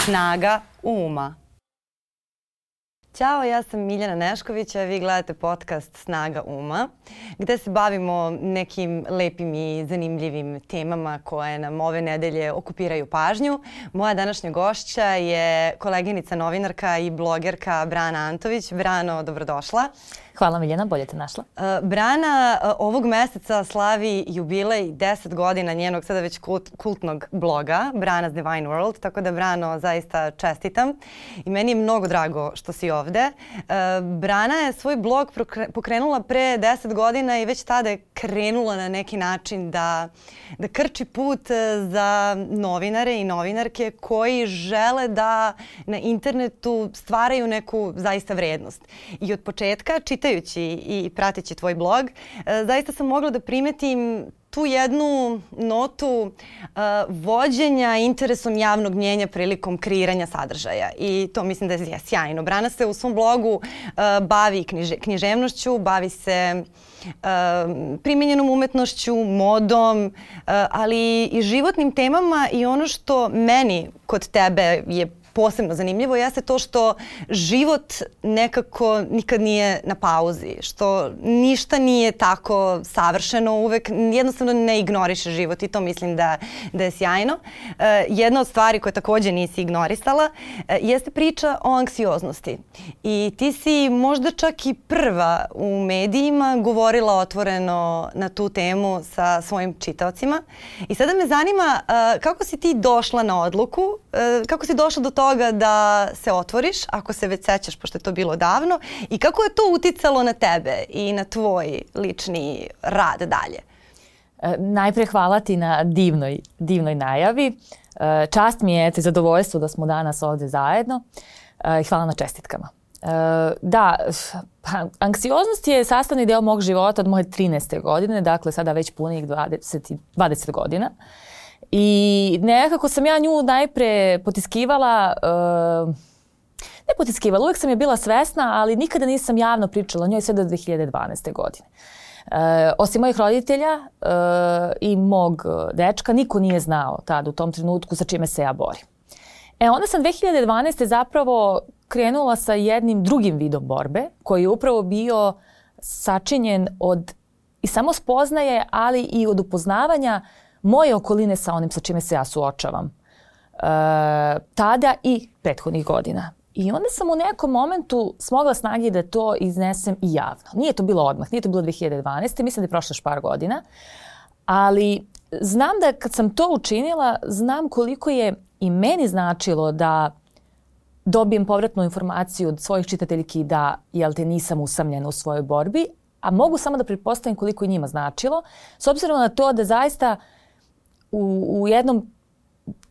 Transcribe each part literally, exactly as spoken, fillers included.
Snaga uma. Ćao, ja sam Miljana Nešković, a vi gledate podcast Snaga uma, gde se bavimo nekim lepim i zanimljivim temama koje nam ove nedelje okupiraju pažnju. Moja današnja gošća je koleginica novinarka i blogerka Brana Antović. Brano, dobrodošla. Hvala Miljana, bolje te našla. Brana ovog meseca slavi jubilej deset godina njenog sada već kultnog bloga Brana's Divine World, tako da Brano zaista čestitam i meni je mnogo drago što si ovde. Brana je svoj blog pokrenula pre deset godina i već tada je krenula na neki način da, da krči put za novinare i novinarke koji žele da na internetu stvaraju neku zaista vrednost. I od početka, čitajući i prateći tvoj blog, zaista sam mogla da primetim tu jednu notu uh, vođenja interesom javnog mnjenja prilikom kreiranja sadržaja. I to mislim da je sjajno. Brana se u svom blogu uh, bavi knjiže, književnošću, bavi se uh, primenjenom umetnošću, modom, uh, ali i životnim temama i ono što meni kod tebe je posebno zanimljivo jeste to što život nekako nikad nije na pauzi, što ništa nije tako savršeno, uvek jednostavno ne ignoriše život i to mislim da, da je sjajno. Uh, jedna od stvari koje takođe nisi ignorisala uh, jeste priča o anksioznosti. I ti si možda čak i prva u medijima govorila otvoreno na tu temu sa svojim čitaocima. I sada me zanima uh, kako si ti došla na odluku, uh, kako si došla do toga toga da se otvoriš, ako se već sećaš, pošto je to bilo davno, i kako je to uticalo na tebe i na tvoj lični rad dalje? E, najpre hvala ti na divnoj, divnoj najavi. E, čast mi je, te zadovoljstvo da smo danas ovde zajedno e, i hvala na čestitkama. E, da, pa, anksioznost je sastavni deo mog života od moje trinaeste godine, dakle sada već punih dvadeset, dvadeset godina. I nekako sam ja nju najpre potiskivala, uh, ne potiskivala, uvijek sam je bila svesna, ali nikada nisam javno pričala o njoj sve do dve hiljade dvanaeste. godine. Uh, osim mojih roditelja uh, i mog dečka, niko nije znao tad u tom trenutku sa čime se ja borim. E onda sam dve hiljade dvanaeste. zapravo krenula sa jednim drugim vidom borbe, koji je upravo bio sačinjen od i samo spoznaje, ali i od upoznavanja moje okoline sa onim sa čime se ja suočavam. E, tada i prethodnih godina. I onda sam u nekom momentu smogla snage da to iznesem i javno. Nije to bilo odmah, nije to bilo dve hiljade dvanaeste. Mislim da je prošlo još par godina. Ali znam da kad sam to učinila, znam koliko je i meni značilo da dobijem povratnu informaciju od svojih čitateljki da, jel te, nisam usamljena u svojoj borbi, a mogu samo da pretpostavim koliko je njima značilo, s obzirom na to da zaista U, u jednom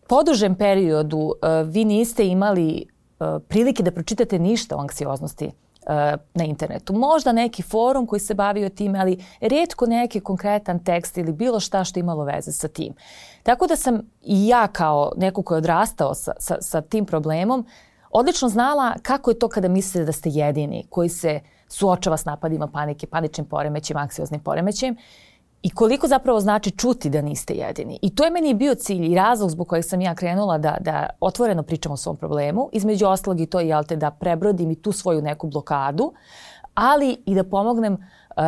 podužem periodu uh, vi niste imali uh, prilike da pročitate ništa o anksioznosti uh, na internetu. Možda neki forum koji se bavio time, ali rijetko neki konkretan tekst ili bilo šta što imalo veze sa tim. Tako da sam i ja kao neko ko je odrastao sa, sa, sa tim problemom odlično znala kako je to kada mislite da ste jedini koji se suočava s napadima panike, paničnim poremećem, anksioznim poremećem. I koliko zapravo znači čuti da niste jedini. I to je meni bio cilj i razlog zbog kojeg sam ja krenula da, da otvoreno pričam o svom problemu. Između ostalog i to, jel te, da prebrodim i tu svoju neku blokadu, ali i da pomognem uh,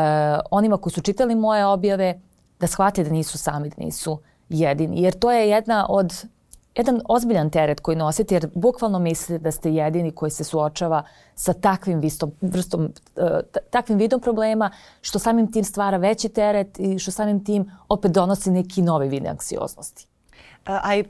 onima koji su čitali moje objave da shvate da nisu sami, da nisu jedini. Jer to je jedna od, jedan ozbiljan teret koji nosite, jer bukvalno mislite da ste jedini koji se suočava sa takvim vistom, vrstom, takvim vidom problema, što samim tim stvara veći teret i što samim tim opet donosi neki novi vid anksioznosti. A i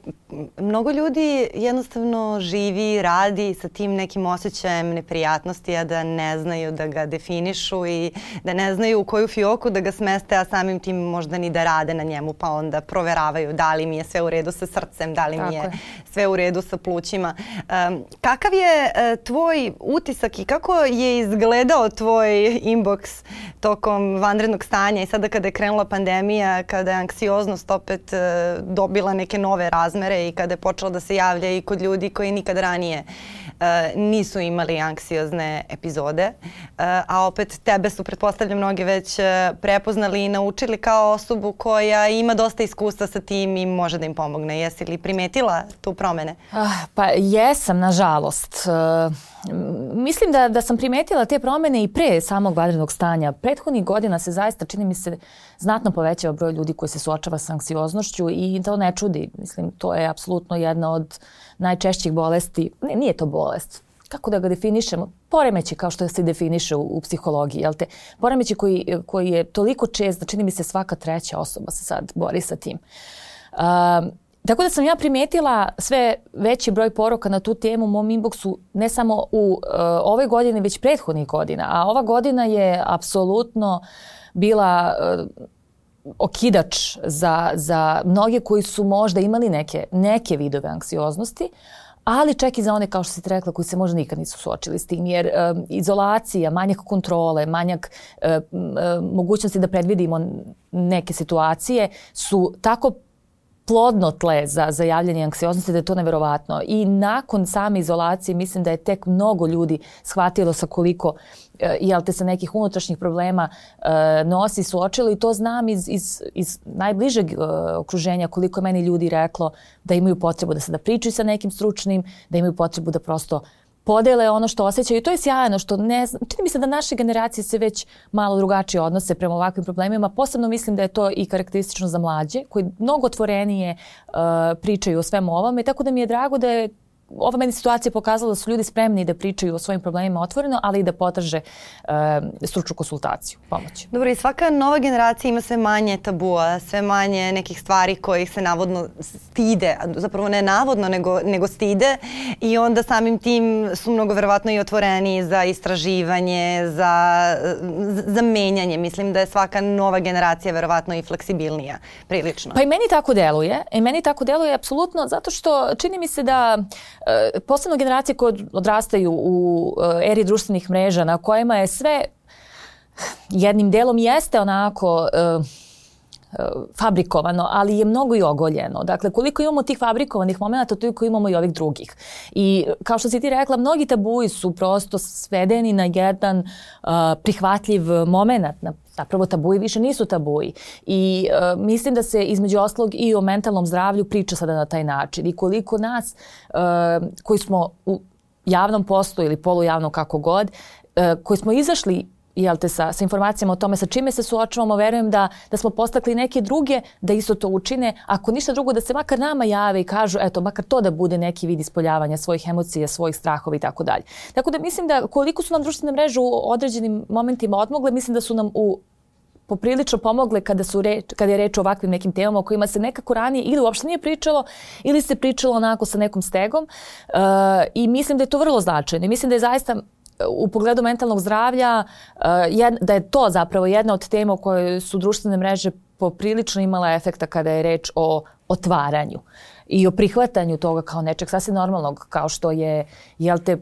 mnogo ljudi jednostavno živi, radi sa tim nekim osjećajem neprijatnosti, a da ne znaju da ga definišu i da ne znaju u koju fioku da ga smeste, a samim tim možda ni da rade na njemu, pa onda proveravaju da li mi je sve u redu sa srcem, da li mi je sve u redu sa plućima. Um, kakav je uh, tvoj utisak i kako je izgledao tvoj inbox tokom vanrednog stanja i sada kada je krenula pandemija, kada je anksioznost opet uh, dobila neke nove razmere i kada je počelo da se javlja i kod ljudi koji nikad ranije uh, nisu imali anksiozne epizode. Uh, a opet tebe su, pretpostavljam, mnogi već uh, prepoznali i naučili kao osobu koja ima dosta iskustva sa tim i može da im pomogne. Jesi li primetila tu promene? Ah, pa jesam, nažalost. Uh, mislim da, da sam primetila te promene i pre samog vanrednog stanja. Prethodnih godina se zaista, čini mi se, znatno povećava broj ljudi koji se suočava sa anksioznošću i to ne čudi. Mislim, to je apsolutno jedna od najčešćih bolesti. Ne, nije to bolest. Kako da ga definišemo? Poremeći, kao što se definiše u, u psihologiji. Jel te? Poremeći koji, koji je toliko čest da čini mi se svaka treća osoba se sad bori sa tim. Um, Tako da sam ja primetila sve veći broj poruka na tu temu u mom inboxu, ne samo u uh, ovoj godini, već prethodnih godina. A ova godina je apsolutno bila uh, okidač za, za mnoge koji su možda imali neke, neke vidove anksioznosti, ali čak i za one, kao što si rekla, koji se možda nikad nisu suočili s tim. Jer um, izolacija, manjak kontrole, manjak uh, uh, mogućnosti da predvidimo neke situacije su tako plodno tle za, za javljanje anksioznosti da je to neverovatno. I nakon same izolacije mislim da je tek mnogo ljudi shvatilo sa koliko e, jel te se nekih unutrašnjih problema e, nosi, suočilo i to znam iz, iz, iz najbližeg e, okruženja koliko je meni ljudi reklo da imaju potrebu da se da pričaju sa nekim stručnim, da imaju potrebu da prosto podele ono što osjećaju. I to je sjajno što ne znam, čini mi se da naše generacije se već malo drugačije odnose prema ovakvim problemima. Posebno mislim da je to i karakteristično za mlađe koji mnogo otvorenije uh, pričaju o svemu ovome. Tako da mi je drago da je ova meni situacija pokazala da su ljudi spremni da pričaju o svojim problemima otvoreno, ali i da potraže uh, stručnu konsultaciju, pomoć. Dobro, i svaka nova generacija ima sve manje tabua, sve manje nekih stvari kojih se navodno stide, zapravo ne navodno, nego, nego stide i onda samim tim su mnogo verovatno i otvoreni za istraživanje, za, za menjanje. Mislim da je svaka nova generacija verovatno i fleksibilnija, prilično. Pa i meni tako deluje. I meni tako deluje apsolutno zato što čini mi se da posebno generacije koje odrastaju u eri društvenih mreža na kojima je sve jednim delom jeste onako uh, fabrikovano, ali je mnogo i ogoljeno. Dakle, koliko imamo tih fabrikovanih momenta, toliko imamo i ovih drugih. I kao što si ti rekla, mnogi tabuji su prosto svedeni na jedan uh, prihvatljiv moment. Zapravo tabuji više nisu tabuji. I uh, mislim da se između ostalog i o mentalnom zdravlju priča sada na taj način. I koliko nas uh, koji smo u javnom poslu ili polujavnom kako god, uh, koji smo izašli jel te, sa, sa informacijama o tome sa čime se suočavamo, verujem da, da smo postakli neke druge da isto to učine. Ako ništa drugo, da se makar nama jave i kažu, eto, makar to da bude neki vid ispoljavanja svojih emocija, svojih strahova i tako dalje. Tako da mislim da koliko su nam društvene mreže u određenim momentima odmogle, mislim da su nam u poprilično pomogle kada, su reč, kada je reč o ovakvim nekim temama o kojima se nekako ranije ili uopšte nije pričalo ili se pričalo onako sa nekom stegom. Uh, I mislim da je to vrlo značajno. I mislim da je zaista u pogledu mentalnog zdravlja, da je to zapravo jedna od tema u kojoj su društvene mreže poprilično imala efekta kada je reč o otvaranju i o prihvatanju toga kao nečeg sasvim normalnog, kao što je, jel te,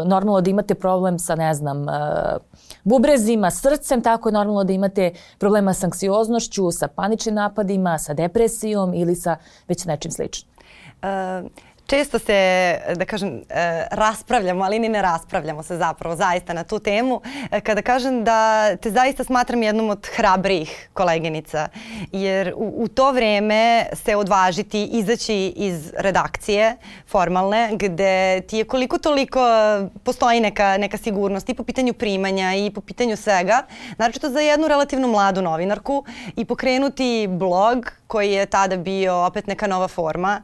normalno da imate problem sa, ne znam, bubrezima, srcem, tako je normalno da imate problema sa anksioznošću, sa paničnim napadima, sa depresijom ili sa već nečim sličnim. Uh... Često se, da kažem, raspravljamo, ali ni ne raspravljamo se zapravo zaista na tu temu. Kada kažem da te zaista smatram jednom od hrabrijih koleginica, jer u, u to vreme se odvažiti, izaći iz redakcije formalne, gde ti je koliko toliko postoji neka, neka sigurnost i po pitanju primanja i po pitanju svega, naročito za jednu relativno mladu novinarku i pokrenuti blog koji je tada bio opet neka nova forma,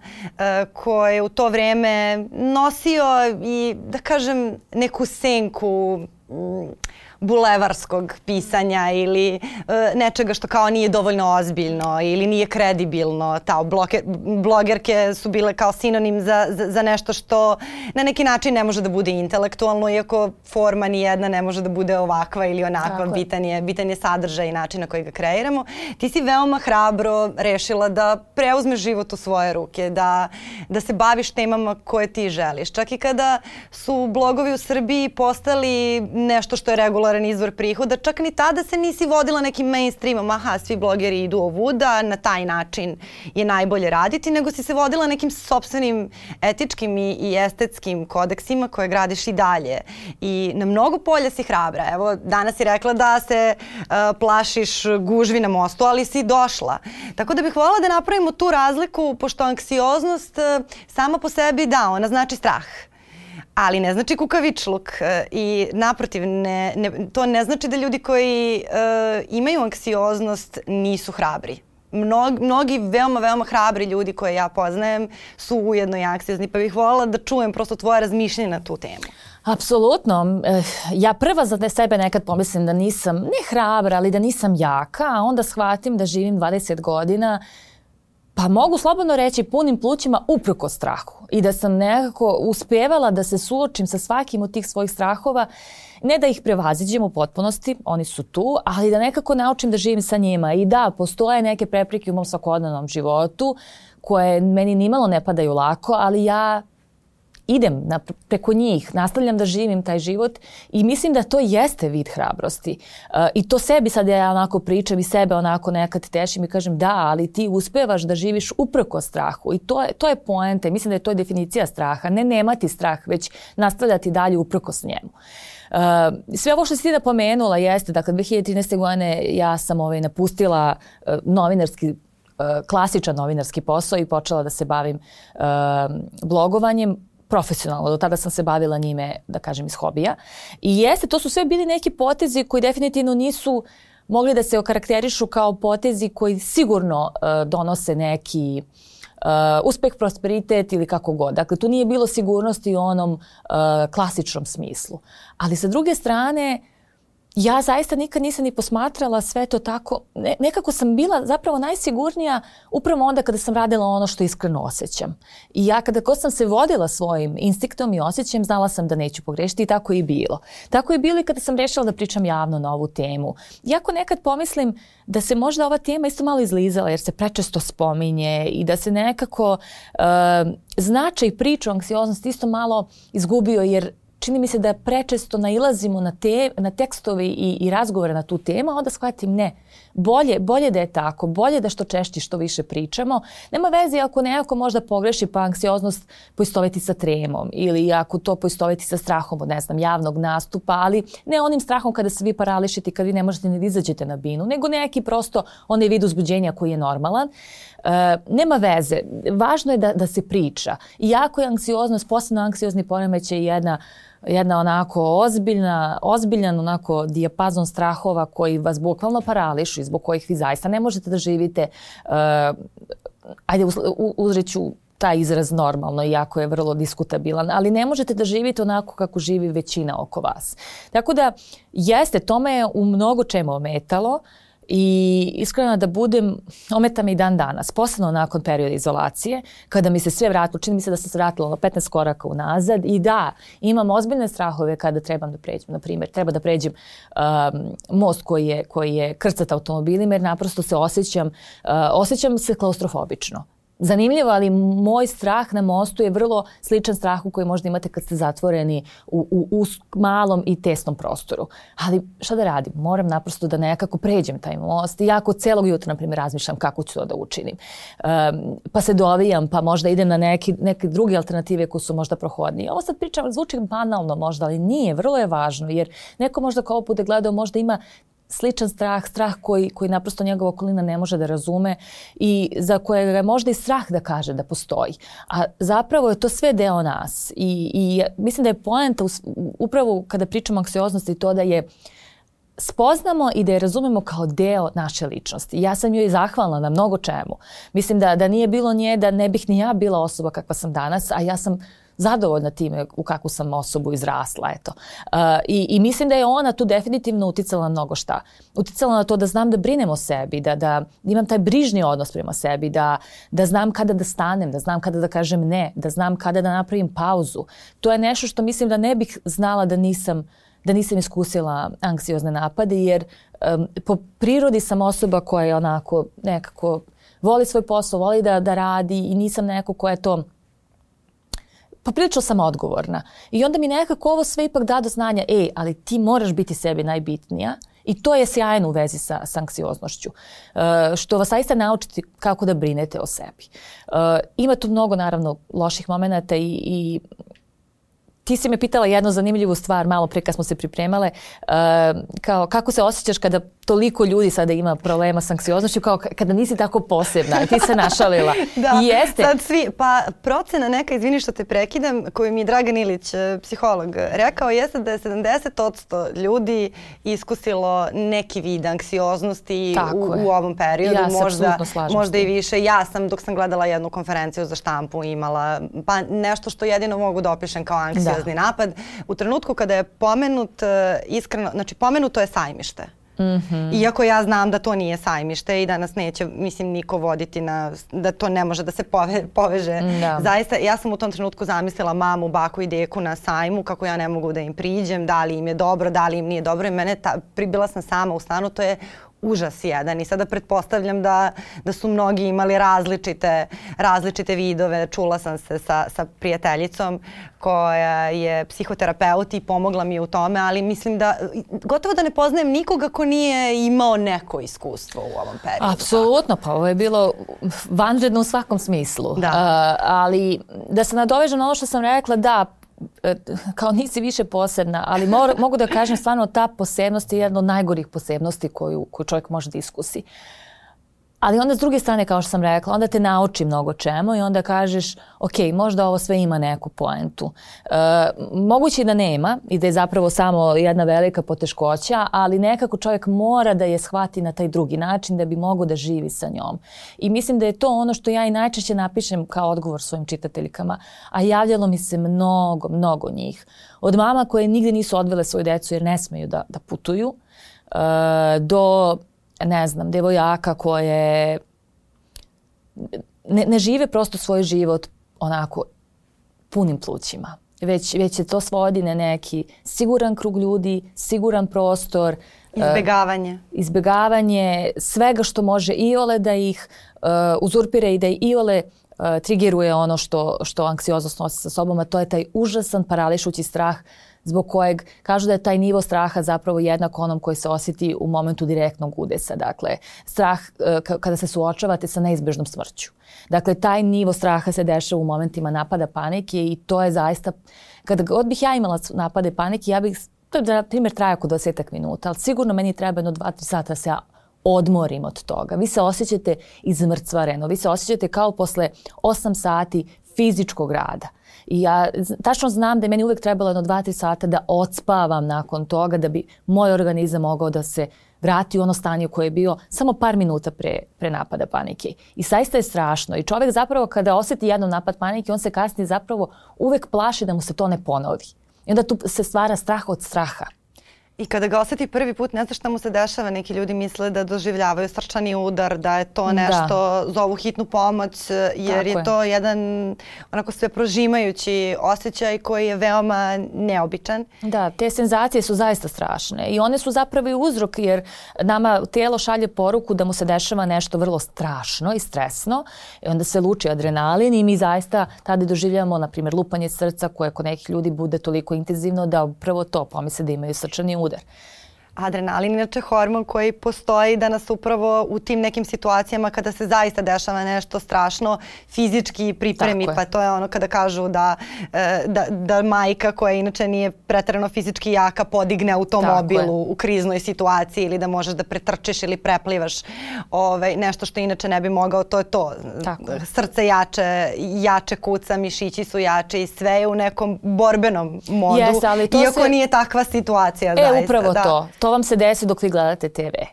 koji je u to vreme nosio i, da kažem, neku senku bulevarskog pisanja ili uh, nečega što kao nije dovoljno ozbiljno ili nije kredibilno. Ta bloke, blogerke su bile kao sinonim za, za, za nešto što na neki način ne može da bude intelektualno, iako forma nijedna ne može da bude ovakva ili onakva. Bitan je, bitan je sadržaj i način na koji ga kreiramo. Ti si veoma hrabro rešila da preuzmeš život u svoje ruke, da, da se baviš temama koje ti želiš. Čak i kada su blogovi u Srbiji postali nešto što je regularno regularan izvor prihoda, čak ni tada se nisi vodila nekim mainstreamom, aha, svi blogeri idu ovuda, na taj način je najbolje raditi, nego si se vodila nekim sopstvenim etičkim i, i estetskim kodeksima koje gradiš i dalje. I na mnogo polja si hrabra. Evo, danas si rekla da se uh, plašiš gužvi na mostu, ali si došla. Tako da bih voljela da napravimo tu razliku, pošto anksioznost uh, sama po sebi, da, ona znači strah. Ali ne znači kukavičluk i naprotiv, ne, ne, to ne znači da ljudi koji uh, imaju anksioznost nisu hrabri. Mnog, mnogi veoma, veoma hrabri ljudi koje ja poznajem su ujedno i anksiozni, pa bih voljela da čujem prosto tvoje razmišljanje na tu temu. Apsolutno. Ja prva za sebe nekad pomislim da nisam ne hrabra, ali da nisam jaka, a onda shvatim da živim dvadeset godina, pa mogu slobodno reći punim plućima uprkos strahu i da sam nekako uspevala da se suočim sa svakim od tih svojih strahova, ne da ih prevaziđem u potpunosti, oni su tu, ali da nekako naučim da živim sa njima. I da, postoje neke prepreke u mom svakodnevnom životu koje meni nimalo ne padaju lako, ali ja idem na, preko njih, nastavljam da živim taj život i mislim da to jeste vid hrabrosti. Uh, I to sebi sad ja onako pričam i sebe onako nekad tešim i kažem da, ali ti uspevaš da živiš uprko strahu i to je, to je poenta. Mislim da je to definicija straha. Ne nemati strah, već nastavljati dalje uprkos njemu. Uh, sve ovo što si ti napomenula jeste, dakle dve hiljade trinaeste. godine ja sam ovaj, napustila uh, novinarski klasičan novinarski posao i počela da se bavim uh, blogovanjem profesionalno. Do tada sam se bavila njime, da kažem, iz hobija. I jeste, to su sve bili neki potezi koji definitivno nisu mogli da se okarakterišu kao potezi koji sigurno uh, donose neki uh, uspeh, prosperitet ili kako god. Dakle, tu nije bilo sigurnosti u onom uh, klasičnom smislu. Ali sa druge strane, ja zaista nikad nisam ni posmatrala sve to tako. Ne, nekako sam bila zapravo najsigurnija upravo onda kada sam radila ono što iskreno osjećam. I ja kada god sam se vodila svojim instinktom i osjećajem, znala sam da neću pogrešiti i tako je i bilo. Tako je bilo i kada sam rešila da pričam javno na ovu temu. Iako nekad pomislim da se možda ova tema isto malo izlizala jer se prečesto spominje i da se nekako uh, značaj priče o anksioznosti isto malo izgubio jer čini mi se da prečesto nailazimo na, te, na tekstove i, i razgovore na tu temu, a onda shvatim ne. Bolje, bolje da je tako, bolje da što češće što više pričamo. Nema veze ako nekako možda pogreši pa anksioznost poistoveti sa tremom ili ako to poistoveti sa strahom od ne znam, javnog nastupa, ali ne onim strahom kada se vi parališite i kada vi ne možete ni da izađete na binu, nego neki prosto onaj vid uzbuđenja koji je normalan. Uh, nema veze. Važno je da, da se priča. Iako je anksioznost, posebno anksiozni poremećaj jedna jedna onako ozbiljna, ozbiljan onako dijapazon strahova koji vas bukvalno parališu i zbog kojih vi zaista ne možete da živite, uh, ajde uzreću taj izraz normalno, iako je vrlo diskutabilan, ali ne možete da živite onako kako živi većina oko vas. Tako da jeste, to me je u mnogo čemu ometalo. I iskreno da budem, ometa me i dan danas, posebno nakon perioda izolacije, kada mi se sve vratilo, čini mi se da sam se vratila na petnaest koraka unazad i da, imam ozbiljne strahove kada trebam da pređem, na primjer, treba da pređem um, most koji je, koji je krcat automobilima jer naprosto se osjećam, uh, osjećam se klaustrofobično. Zanimljivo, ali moj strah na mostu je vrlo sličan strahu koji možda imate kad ste zatvoreni u, u, u malom i tesnom prostoru. Ali šta da radim? Moram naprosto da nekako pređem taj most. I jako celog jutra, na primjer, razmišljam kako ću to da učinim. Um, pa se dovijam, pa možda idem na neki, neke druge alternative koje su možda prohodnije. Ovo sad pričam, zvuči banalno možda, ali nije. Vrlo je važno jer neko možda kao bude gledao možda ima sličan strah, strah koji, koji naprosto njegova okolina ne može da razume i za kojega je možda i strah da kaže da postoji. A zapravo je to sve deo nas i, i mislim da je poenta upravo kada pričamo o anksioznosti to da je spoznamo i da je razumemo kao deo naše ličnosti. Ja sam joj zahvalna na mnogo čemu. Mislim da, da nije bilo nje, da ne bih ni ja bila osoba kakva sam danas, a ja sam zadovoljna time u kakvu sam osobu izrasla. Eto. Uh, i, I mislim da je ona tu definitivno uticala na mnogo šta. Uticala na to da znam da brinem o sebi, da, da imam taj brižni odnos prema sebi, da, da znam kada da stanem, da znam kada da kažem ne, da znam kada da napravim pauzu. To je nešto što mislim da ne bih znala da nisam da nisam iskusila anksiozne napade, jer um, po prirodi sam osoba koja je onako nekako voli svoj posao, voli da, da radi i nisam neko koja je to poprilično sam odgovorna. I onda mi nekako ovo sve ipak da do znanja, ej, ali ti moraš biti sebi najbitnija. I to je sjajno u vezi sa, sa anksioznošću, uh, što vas zaista naučiti kako da brinete o sebi. Uh, ima tu mnogo, naravno, loših momenata i, i ti si me pitala jednu zanimljivu stvar malo prije kad smo se pripremale, uh, kao kako se osjećaš kada toliko ljudi sada ima problema s anksioznošću, kao kada nisi tako posebna i ti se našalila. Da, I jeste. Sad svi, pa procena neka, izvini što te prekidam, koju mi je Dragan Ilić, psiholog, rekao jeste da je sedamdeset posto ljudi iskusilo neki vid anksioznosti u, u ovom periodu. Ja se možda, slažem možda i više. Ja sam, dok sam gledala jednu konferenciju za štampu, imala pa nešto što jedino mogu da opišem kao anksiozni da. napad. U trenutku kada je pomenut, iskreno, znači pomenuto je Sajmište. Mm-hmm. Iako ja znam da to nije Sajmište i da nas neće, mislim, niko voditi na, da to ne može da se pove, poveže. Da. Zaista, ja sam u tom trenutku zamislila mamu, baku i deku na sajmu, kako ja ne mogu da im priđem, da li im je dobro, da li im nije dobro. I mene, ta, pribila sam sama u stanu, to je užas jedan. I sada pretpostavljam da, da su mnogi imali različite, različite vidove. Čula sam se sa, sa prijateljicom koja je psihoterapeut i pomogla mi u tome, ali mislim da gotovo da ne poznajem nikoga ko nije imao neko iskustvo u ovom periodu. Apsolutno, pa ovo je bilo vanredno u svakom smislu. Da. Uh, ali da se nadovežem na ono što sam rekla, da, kao nisi više posebna, ali mor, mogu da kažem stvarno ta posebnost je jedna od najgorih posebnosti koju, koju čovjek može da iskusi. Ali onda s druge strane, kao što sam rekla, onda te nauči mnogo čemu i onda kažeš, ok, možda ovo sve ima neku poentu. E, moguće da nema i da je zapravo samo jedna velika poteškoća, ali nekako čovjek mora da je shvati na taj drugi način da bi mogao da živi sa njom. I mislim da je to ono što ja i najčešće napišem kao odgovor svojim čitateljkama, a javljalo mi se mnogo, mnogo njih. Od mama koje nigde nisu odvele svoju decu jer ne smeju da, da putuju, e, do ne znam, devojaka koje ne, ne žive prosto svoj život onako punim plućima. Već, već se to svodi na neki siguran krug ljudi, siguran prostor. Izbjegavanje. Uh, izbjegavanje svega što može iole da ih uh, uzurpira i da iole uh, triggeruje ono što, što anksioznost nosi sa sobom, a to je taj užasan parališući strah zbog kojeg kažu da je taj nivo straha zapravo jednak onom koji se osjeti u momentu direktnog udesa. Dakle, strah k- kada se suočavate sa neizbežnom smrću. Dakle, taj nivo straha se dešava u momentima napada panike i to je zaista, kada god bih ja imala napade panike, ja bih, to je na primjer traje oko dvadesetak minuta, ali sigurno meni treba jedno dva tri sata da se ja odmorim od toga. Vi se osjećate izmrcvareno, vi se osjećate kao posle osam sati fizičkog rada. I ja tačno znam da je meni uvijek trebalo jedno dva tri sata da odspavam nakon toga da bi moj organizam mogao da se vrati u ono stanje koje je bio samo par minuta pre, pre napada panike. I zaista je strašno. I čovjek zapravo kada osjeti jednom napad panike, on se kasnije zapravo uvijek plaši da mu se to ne ponovi. I onda tu se stvara strah od straha. I kada ga osjeti prvi put, ne zna šta mu se dešava. Neki ljudi misle da doživljavaju srčani udar, da je to nešto, da. zovu hitnu pomoć, jer je, je to jedan onako sve prožimajući osjećaj koji je veoma neobičan. Da, te senzacije su zaista strašne i one su zapravo i uzrok, jer nama tijelo šalje poruku da mu se dešava nešto vrlo strašno i stresno i onda se luči adrenalin i mi zaista tada doživljavamo, na primjer, lupanje srca koje kod nekih ljudi bude toliko intenzivno da prvo to pomisle da imaju srčani udar. Adrenalin inače hormon koji postoji da nas upravo u tim nekim situacijama kada se zaista dešava nešto strašno fizički pripremi. Pa to je ono kada kažu da, da, da majka koja inače nije pretjerano fizički jaka podigne automobil u kriznoj situaciji ili da možeš da pretrčiš ili preplivaš ovaj, nešto što inače ne bi mogao. To je to. Tako. Srce jače, jače kuca, mišići su jače i sve je u nekom borbenom modu. Yes, ali to iako se... nije takva situacija. E, zaista, upravo da. to. To vam se desi dok vi gledate te ve.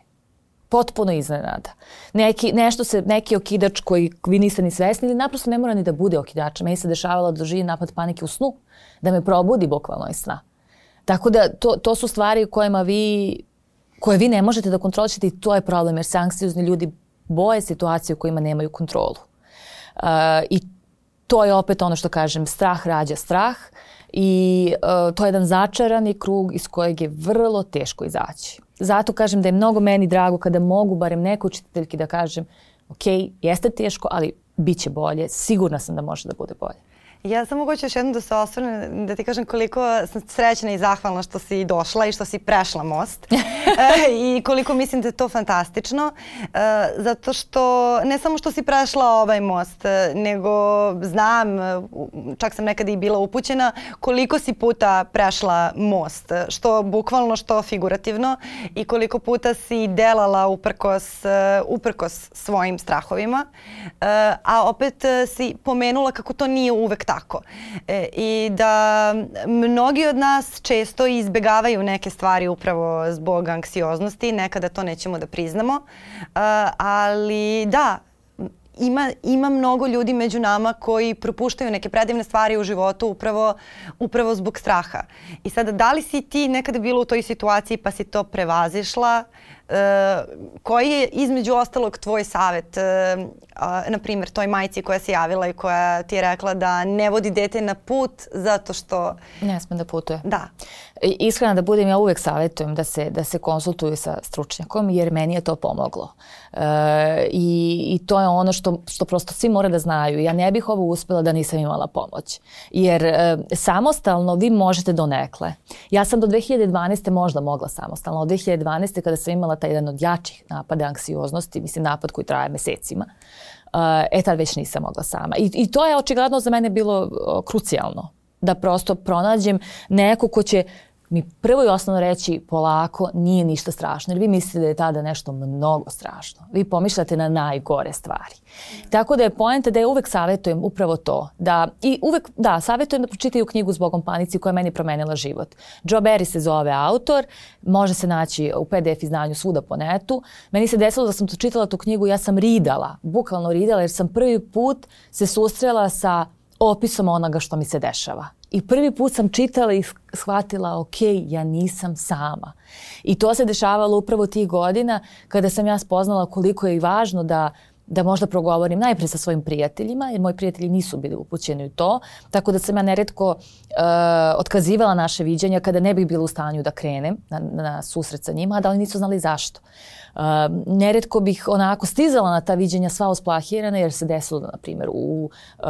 Potpuno iznenada. Neki, nešto se, neki okidač koji vi niste ni svesni ili naprosto ne mora ni da bude okidač. Meni se dešavalo da doživim napad panike u snu. Da me probudi bukvalno iz sna. Tako da to, to su stvari kojima vi, koje vi ne možete da kontrolišete i to je problem jer se anksiozni ljudi boje situacije u kojima nemaju kontrolu. Uh, I to je opet ono što kažem, strah rađa strah. I uh, to je jedan začarani krug iz kojeg je vrlo teško izaći. Zato kažem da je mnogo meni drago kada mogu barem nekoj učiteljki da kažem ok, jeste teško, ali bit će bolje. Sigurna sam da može da bude bolje. Ja samo hoću još jednom da se osvrnem, da ti kažem koliko sam srećna i zahvalna što si došla i što si prešla most e, i koliko mislim da je to fantastično, e, zato što ne samo što si prešla ovaj most, nego znam, čak sam nekada i bila upućena, koliko si puta prešla most, što bukvalno, što figurativno i koliko puta si delala uprkos, uprkos svojim strahovima, e, a opet si pomenula kako to nije uvek tako. E, I da mnogi od nas često izbegavaju neke stvari upravo zbog anksioznosti, nekada to nećemo da priznamo, e, ali da, Ima, ima mnogo ljudi među nama koji propuštaju neke predivne stvari u životu upravo, upravo zbog straha. I sada, da li si ti nekada bila u toj situaciji pa si to prevazišla? E, koji je između ostalog tvoj savjet, e, a, na primjer toj majci koja se javila i koja ti je rekla da ne vodi dete na put zato što... Ne sme da putuje. Da. Iskreno da budem, ja uvek savjetujem da se, da se konsultuju sa stručnjakom jer meni je to pomoglo. E, i, I to je ono što, što prosto svi mora da znaju. Ja ne bih ovo uspjela da nisam imala pomoć. Jer e, samostalno vi možete donekle. Ja sam do dve hiljade dvanaeste možda mogla samostalno. Od dve hiljade dvanaeste kada sam imala taj jedan od jačih napada anksioznosti, mislim napad koji traje mesecima, e tad već nisam mogla sama. I, i to je očigledno za mene bilo o, krucijalno. Da prosto pronađem neko ko će mi prvo i osnovno reći polako, nije ništa strašno. Jer vi mislite da je tada nešto mnogo strašno. Vi pomišljate na najgore stvari. Tako da je poenta da ja uvek savjetujem upravo to. Da, I uvek, da, savjetujem da pročitaju knjigu Zbogom panici koja je meni promenila život. Joe Barry se zove autor. Može se naći u P D F izdanju svuda po netu. Meni se desilo da sam to čitala tu knjigu, ja sam ridala. Bukvalno ridala jer sam prvi put se susrela sa opisom onoga što mi se dešava. I prvi put sam čitala i shvatila, ok, ja nisam sama. I to se dešavalo upravo tih godina kada sam ja spoznala koliko je i važno da, da možda progovorim najprije sa svojim prijateljima, jer moji prijatelji nisu bili upućeni u to. Tako da sam ja neretko uh, otkazivala naše viđenja kada ne bih bila u stanju da krenem na, na susret sa njima, a da oni nisu znali zašto. Uh, neretko bih onako stizala na ta viđenja sva usplahirana jer se desilo, na primjer, u uh,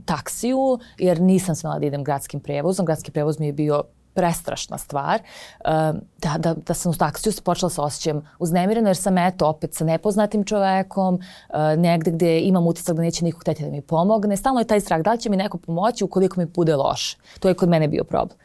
taksiju, jer nisam smjela da idem gradskim prevozom. Gradski prevoz mi je bio prestrašna stvar. Uh, da, da, da sam u taksiju počela sa osjećajem uznemireno jer sam eto opet sa nepoznatim čovekom, uh, negde gde imam utisak da neće niko htjeti da mi pomogne. Stalno je taj strah da li će mi neko pomoći ukoliko mi bude loše. To je kod mene bio problem.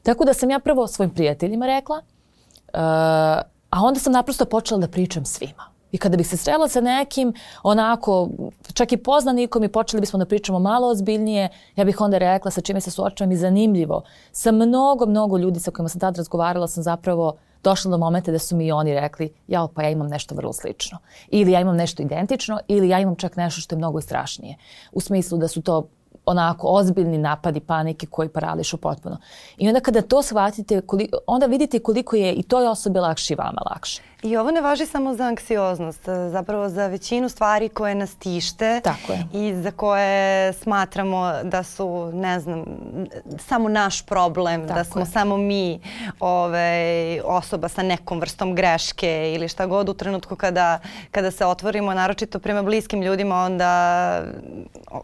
Tako da sam ja prvo svojim prijateljima rekla, uh, a onda sam naprosto počela da pričam svima. I kada bih se srela sa nekim, onako, čak i poznanikom i počeli bismo da pričamo malo ozbiljnije, ja bih onda rekla sa čime se suočavam i zanimljivo. Sa mnogo, mnogo ljudi sa kojima sam tad razgovarala sam zapravo došla do momenta da su mi i oni rekli, jao, pa ja imam nešto vrlo slično. Ili ja imam nešto identično, ili ja imam čak nešto što je mnogo strašnije. U smislu da su to onako ozbiljni napadi panike koji parališu potpuno. I onda kada to shvatite, koliko, onda vidite koliko je i toj osobi lakše i vama lakše. I ovo ne važi samo za anksioznost, zapravo za većinu stvari koje nas tište. Tako je. I za koje smatramo da su, ne znam, samo naš problem, Tako da smo je. samo mi ovaj, osoba sa nekom vrstom greške ili šta god u trenutku kada, kada se otvorimo, naročito prema bliskim ljudima, onda,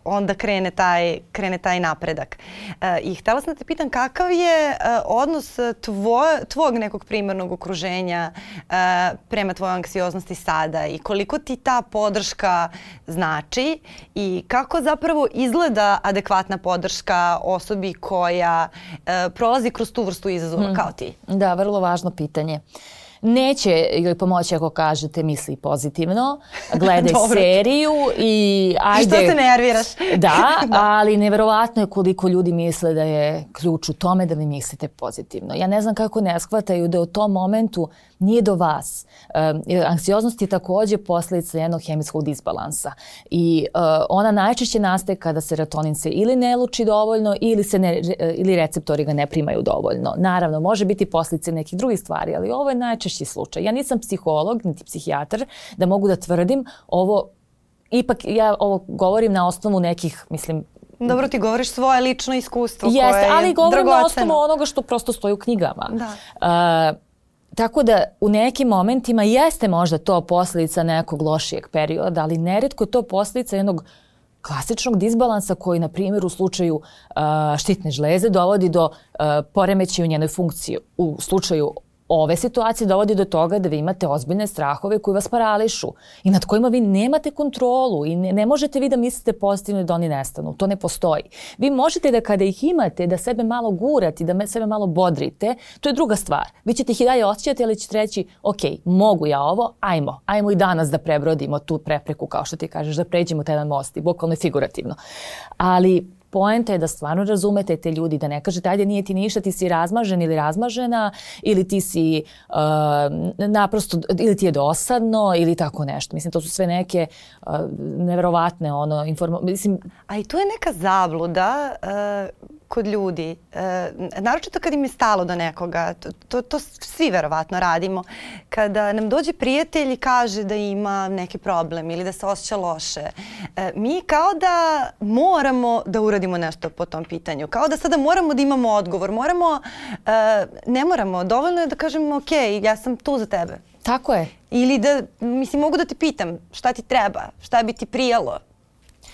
onda krene, taj, krene taj napredak. E, I htjela sam da te pitam kakav je e, odnos tvoj, tvog nekog primarnog okruženja e, prema tvojoj anksioznosti sada i koliko ti ta podrška znači i kako zapravo izgleda adekvatna podrška osobi koja e, prolazi kroz tu vrstu izazova hmm. kao ti? Da, vrlo važno pitanje. Neće joj pomoći ako kažete misli pozitivno, gledaj seriju i ajde... Što se nerviraš? Da, da, ali neverovatno je koliko ljudi misle da je ključ u tome da vi mislite pozitivno. Ja ne znam kako ne shvataju da u tom momentu nije do vas. Um, anksioznost je također posljedica jednog hemijskog disbalansa i uh, ona najčešće nastaje kada serotonin se ili ne luči dovoljno ili, se ne, ili receptori ga ne primaju dovoljno. Naravno, može biti posljedice nekih drugih stvari, ali ovo je najčešći slučaj. Ja nisam psiholog, niti psihijatar, da mogu da tvrdim ovo, ipak ja ovo govorim na osnovu nekih, mislim, dobro, ti govoriš svoje lično iskustvo Jeste, koje je ali govorim dragoceno. na osnovu onoga što prosto stoji u knjigama. Da. Uh, Tako da u nekim momentima jeste možda to posljedica nekog lošijeg perioda, ali neretko je to posljedica jednog klasičnog disbalansa koji, na primjer, u slučaju uh, štitne žleze dovodi do uh, poremećaja u njenoj funkciji. U slučaju ove situacije dovodi do toga da vi imate ozbiljne strahove koji vas parališu i nad kojima vi nemate kontrolu i ne, ne možete vi da mislite pozitivno da oni nestanu. To ne postoji. Vi možete da kada ih imate, da sebe malo gurate, da sebe malo bodrite, to je druga stvar. Vi ćete ih i dalje osjećati, ali ćete reći, ok, mogu ja ovo, ajmo, ajmo i danas da prebrodimo tu prepreku, kao što ti kažeš, da pređemo taj jedan most, i bukvalno i figurativno. Ali poenta je da stvarno razumete te ljudi, da ne kažete ajde nije ti ništa, ti si razmažen ili razmažena ili ti si uh, naprosto, ili ti je dosadno ili tako nešto. Mislim, to su sve neke uh, neverovatne ono, informacije. Mislim... A i tu je neka zabluda uh, kod ljudi, uh, naročito kad im je stalo do nekoga, to, to, to svi verovatno radimo, kada nam dođe prijatelj i kaže da ima neki problem ili da se osjeća loše, uh, mi kao da moramo da uradimo nešto po tom pitanju. Kao da sada moramo da imamo odgovor. Moramo, uh, ne moramo, dovoljno je da kažemo ok, ja sam tu za tebe. Tako je. Ili da, mislim, mogu da ti pitam šta ti treba, šta bi ti prijalo.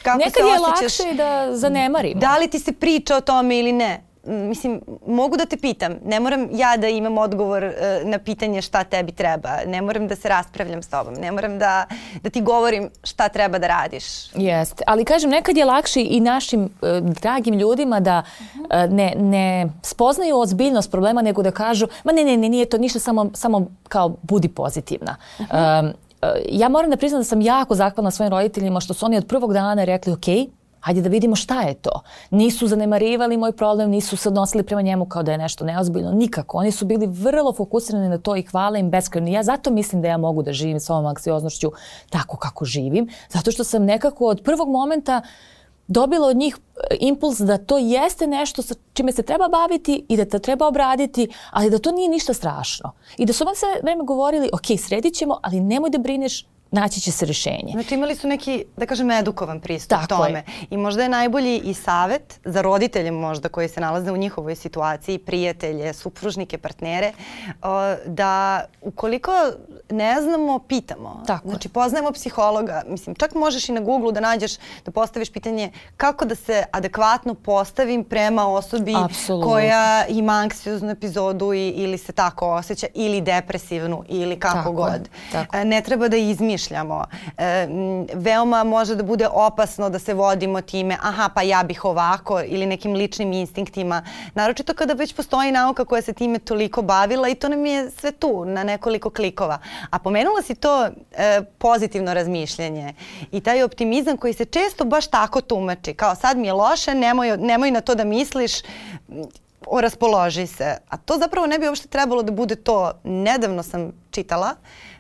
Kako nekad se je osjećaš, lakše da zanemarimo. Da li ti se priča o tome ili ne? Mislim, mogu da te pitam. Ne moram ja da imam odgovor uh, na pitanje šta tebi treba. Ne moram da se raspravljam s tobom. Ne moram da, da ti govorim šta treba da radiš. Jeste. Ali kažem, nekad je lakše i našim uh, dragim ljudima da uh, ne, ne spoznaju ozbiljnost problema, nego da kažu, ma ne, ne, ne, nije to ništa, samo, samo kao budi pozitivna. Uh-huh. Um, Ja moram da priznam da sam jako zahvalna svojim roditeljima što su oni od prvog dana rekli ok, hajde da vidimo šta je to. Nisu zanemarivali moj problem, nisu se odnosili prema njemu kao da je nešto neozbiljno, nikako. Oni su bili vrlo fokusirani na to i hvala im beskrajno. Ja zato mislim da ja mogu da živim s ovom anksioznošću tako kako živim, zato što sam nekako od prvog momenta dobila od njih impuls da to jeste nešto sa čime se treba baviti i da to treba obraditi, ali da to nije ništa strašno. I da su vam sve vreme govorili, ok, sredit ćemo, ali nemoj da brineš, naći će se rješenje. Znači imali su neki, da kažem, edukovan pristup Tako tome. Je. I možda je najbolji i savjet za roditelje možda koji se nalaze u njihovoj situaciji, prijatelje, supružnike, partnere, da ukoliko ne znamo, pitamo. Tako znači poznajemo psihologa. Mislim, čak možeš i na Google da nađeš, da postaviš pitanje kako da se adekvatno postavim prema osobi Apsolutno. koja ima anksioznu epizodu i, ili se tako osjeća, ili depresivnu, ili kako tako god. Tako. Ne treba da izmišljamo. E, veoma može da bude opasno da se vodimo time, aha, pa ja bih ovako, ili nekim ličnim instinktima. Naročito kada već postoji nauka koja se time toliko bavila i to nam je sve tu na nekoliko klikova. A pomenula si to e, pozitivno razmišljanje i taj optimizam koji se često baš tako tumači. Kao sad mi je loše, nemoj, nemoj na to da misliš, raspoloži se. A to zapravo ne bi uopšte trebalo da bude to. Nedavno sam čitala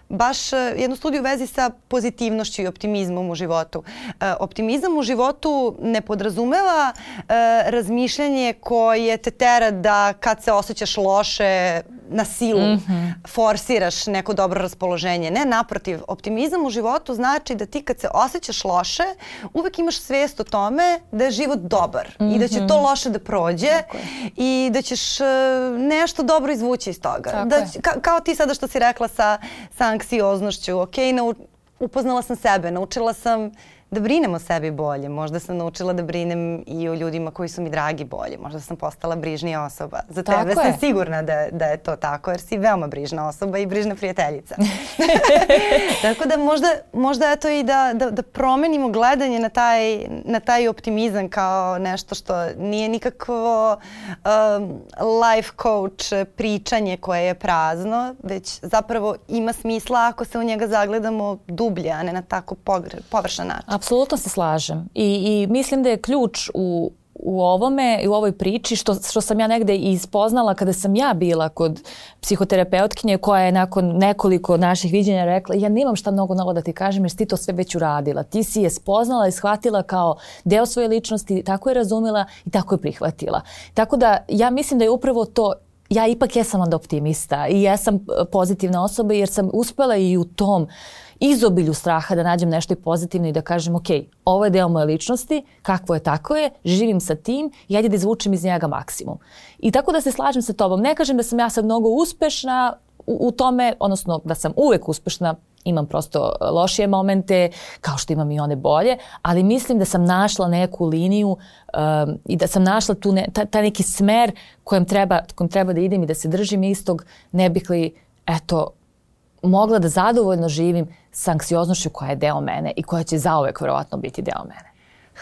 baš jednu studiju u vezi sa pozitivnošću i optimizmom u životu. E, optimizam u životu ne podrazumeva e, razmišljanje koje te tera da kad se osjećaš loše na silu mm-hmm. forsiraš neko dobro raspoloženje. Ne, naprotiv, optimizam u životu znači da ti kad se osjećaš loše uvek imaš svijest o tome da je život dobar mm-hmm. i da će to loše da prođe i da ćeš uh, nešto dobro izvući iz toga. Da, ka, kao ti sada što si rekla sa, sa anksioznošću. Ok, nau, upoznala sam sebe, naučila sam da brinem o sebi bolje. Možda sam naučila da brinem i o ljudima koji su mi dragi bolje. Možda sam postala brižnija osoba. Za tako tebe je. sam sigurna da, da je to tako, jer si veoma brižna osoba i brižna prijateljica. Tako da možda, možda eto i da, da, da promenimo gledanje na taj, na taj optimizam kao nešto što nije nikakvo um, life coach pričanje koje je prazno, već zapravo ima smisla ako se u njega zagledamo dublje, a ne na tako pogre, površan način. Apsolutno se slažem i, i mislim da je ključ u, u ovome i u ovoj priči što, što sam ja negde i spoznala kada sam ja bila kod psihoterapeutkinje koja je nakon nekoliko naših viđenja rekla ja nemam šta mnogo novo da ti kažem jer si ti to sve već uradila. Ti si je spoznala i shvatila kao deo svoje ličnosti, tako je razumela i tako je prihvatila. Tako da ja mislim da je upravo to. Ja ipak jesam onda optimista i ja sam pozitivna osoba jer sam uspela i u tom izobilju straha da nađem nešto i pozitivno i da kažem ok, ovo je deo moje ličnosti, kakvo je tako je, živim sa tim i ajde da izvučem iz njega maksimum. I tako da se slažem sa tobom. Ne kažem da sam ja sad mnogo uspešna u, u tome, odnosno da sam uvek uspešna, Imam prosto lošije momente, kao što imam i one bolje, ali mislim da sam našla neku liniju um, i da sam našla tu ne, ta, taj neki smer kojem treba, kojem treba da idem i da se držim istog, ne bih li, eto, mogla da zadovoljno živim s anksioznošću koja je deo mene i koja će zauvek verovatno biti deo mene.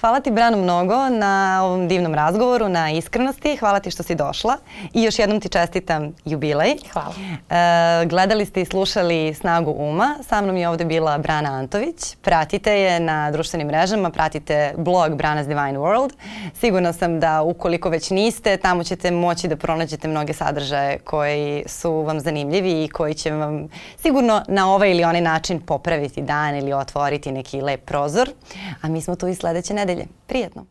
Hvala ti, Brano, mnogo na ovom divnom razgovoru, na iskrenosti. Hvala ti što si došla i još jednom ti čestitam jubilej. Hvala. E, gledali ste i slušali Snagu uma. Sa mnom je ovdje bila Brana Antović. Pratite je na društvenim mrežama, pratite blog Brana's Divine World. Sigurna sam da ukoliko već niste, tamo ćete moći da pronađete mnoge sadržaje koji su vam zanimljivi i koji će vam sigurno na ovaj ili onaj način popraviti dan ili otvoriti neki lep prozor. A mi smo tu i sljedeće nedelje. Prijetno!